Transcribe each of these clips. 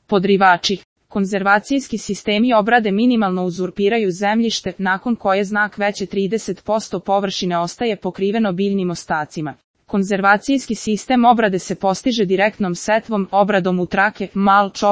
Podrivači. Konzervacijski sistemi obrade minimalno uzurpiraju zemljište, nakon koje znak veće 30% površine ostaje pokriveno biljnim ostacima. Konzervacijski sistem obrade se postiže direktnom setvom, obradom u trake, malč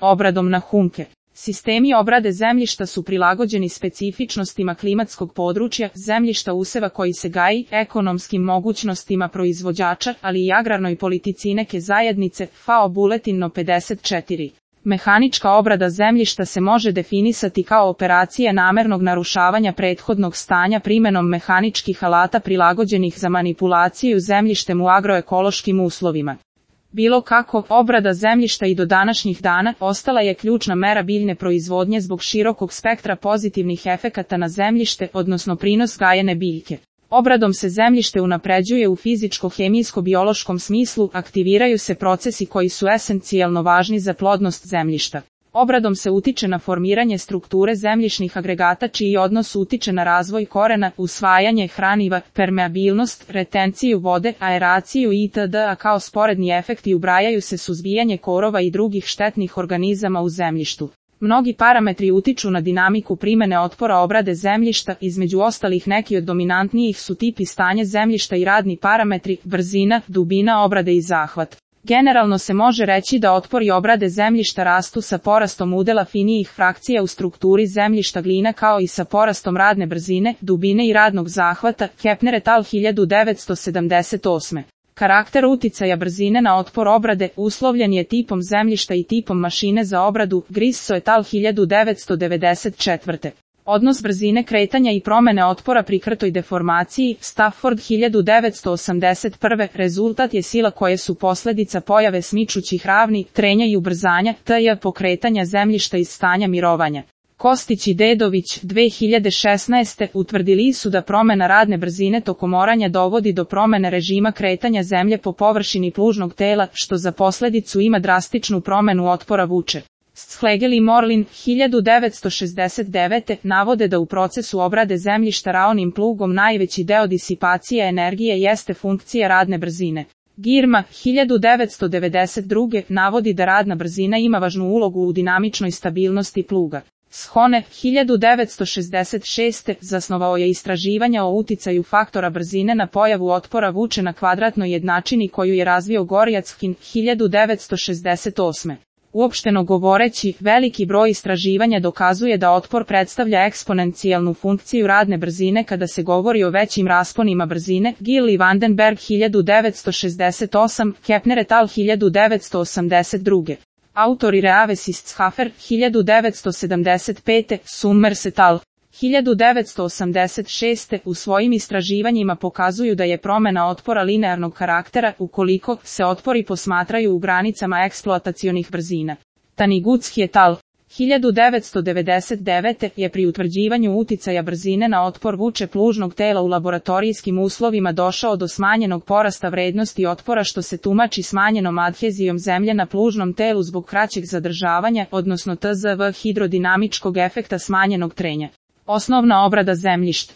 obradom na humke. Sistemi obrade zemljišta su prilagođeni specifičnostima klimatskog područja, zemljišta useva koji se gaji, ekonomskim mogućnostima proizvođača, ali i agrarnoj politici neke zajednice. FAO Buletin 54. Mehanička obrada zemljišta se može definisati kao operacija namernog narušavanja prethodnog stanja primenom mehaničkih alata prilagođenih za manipulaciju zemljištem u agroekološkim uslovima. Bilo kako, obrada zemljišta i do današnjih dana ostala je ključna mera biljne proizvodnje zbog širokog spektra pozitivnih efekata na zemljište, odnosno prinos gajene biljke. Obradom se zemljište unapređuje u fizičko-hemijsko-biološkom smislu, aktiviraju se procesi koji su esencijalno važni za plodnost zemljišta. Obradom se utiče na formiranje strukture zemljišnih agregata čiji odnos utiče na razvoj korena, usvajanje hraniva, permeabilnost, retenciju vode, aeraciju itd., a kao sporedni efekti ubrajaju se suzbijanje korova i drugih štetnih organizama u zemljištu. Mnogi parametri utiču na dinamiku primene otpora obrade zemljišta, između ostalih neki od dominantnijih su tip i stanje zemljišta i radni parametri, brzina, dubina obrade i zahvat. Generalno se može reći da otpori obrade zemljišta rastu sa porastom udela finijih frakcija u strukturi zemljišta glina kao i sa porastom radne brzine, dubine i radnog zahvata. Kepner et al. 1978. Karakter uticaja brzine na otpor obrade uslovljen je tipom zemljišta i tipom mašine za obradu. Grisso et al. 1994. Odnos brzine kretanja i promene otpora pri krtoj deformaciji. Stafford 1981. Rezultat je sila koje su posljedica pojave smičućih ravni, trenja i ubrzanja, t.j. pokretanja zemljišta iz stanja mirovanja. Kostić i Dedović 2016. utvrdili su da promjena radne brzine tokom oranja dovodi do promjene režima kretanja zemlje po površini plužnog tela, što za posljedicu ima drastičnu promjenu otpora vuče. Schlegel i Morlin 1969. navode da u procesu obrade zemljišta raonim plugom najveći deo disipacije energije jeste funkcija radne brzine. Girma 1992. navodi da radna brzina ima važnu ulogu u dinamičnoj stabilnosti pluga. Shone 1966. zasnovao je istraživanja o uticaju faktora brzine na pojavu otpora vuče na kvadratnoj jednačini koju je razvio Gorjackin 1968. Uopšteno govoreći, veliki broj istraživanja dokazuje da otpor predstavlja eksponencijalnu funkciju radne brzine kada se govori o većim rasponima brzine. Gill i Vandenberg 1968, Kepner et al. 1982. Autori Reaves ist Schafer 1975, Summers et al. 1986. u svojim istraživanjima pokazuju da je promjena otpora linearnog karaktera ukoliko se otpori posmatraju u granicama eksploatacionih brzina. Taniguchi et al. 1999. je pri utvrđivanju uticaja brzine na otpor vuče plužnog tela u laboratorijskim uslovima došao do smanjenog porasta vrednosti otpora što se tumači smanjenom adhezijom zemlje na plužnom telu zbog kraćeg zadržavanja, odnosno tzv hidrodinamičkog efekta smanjenog trenja. Osnovna obrada zemljišta.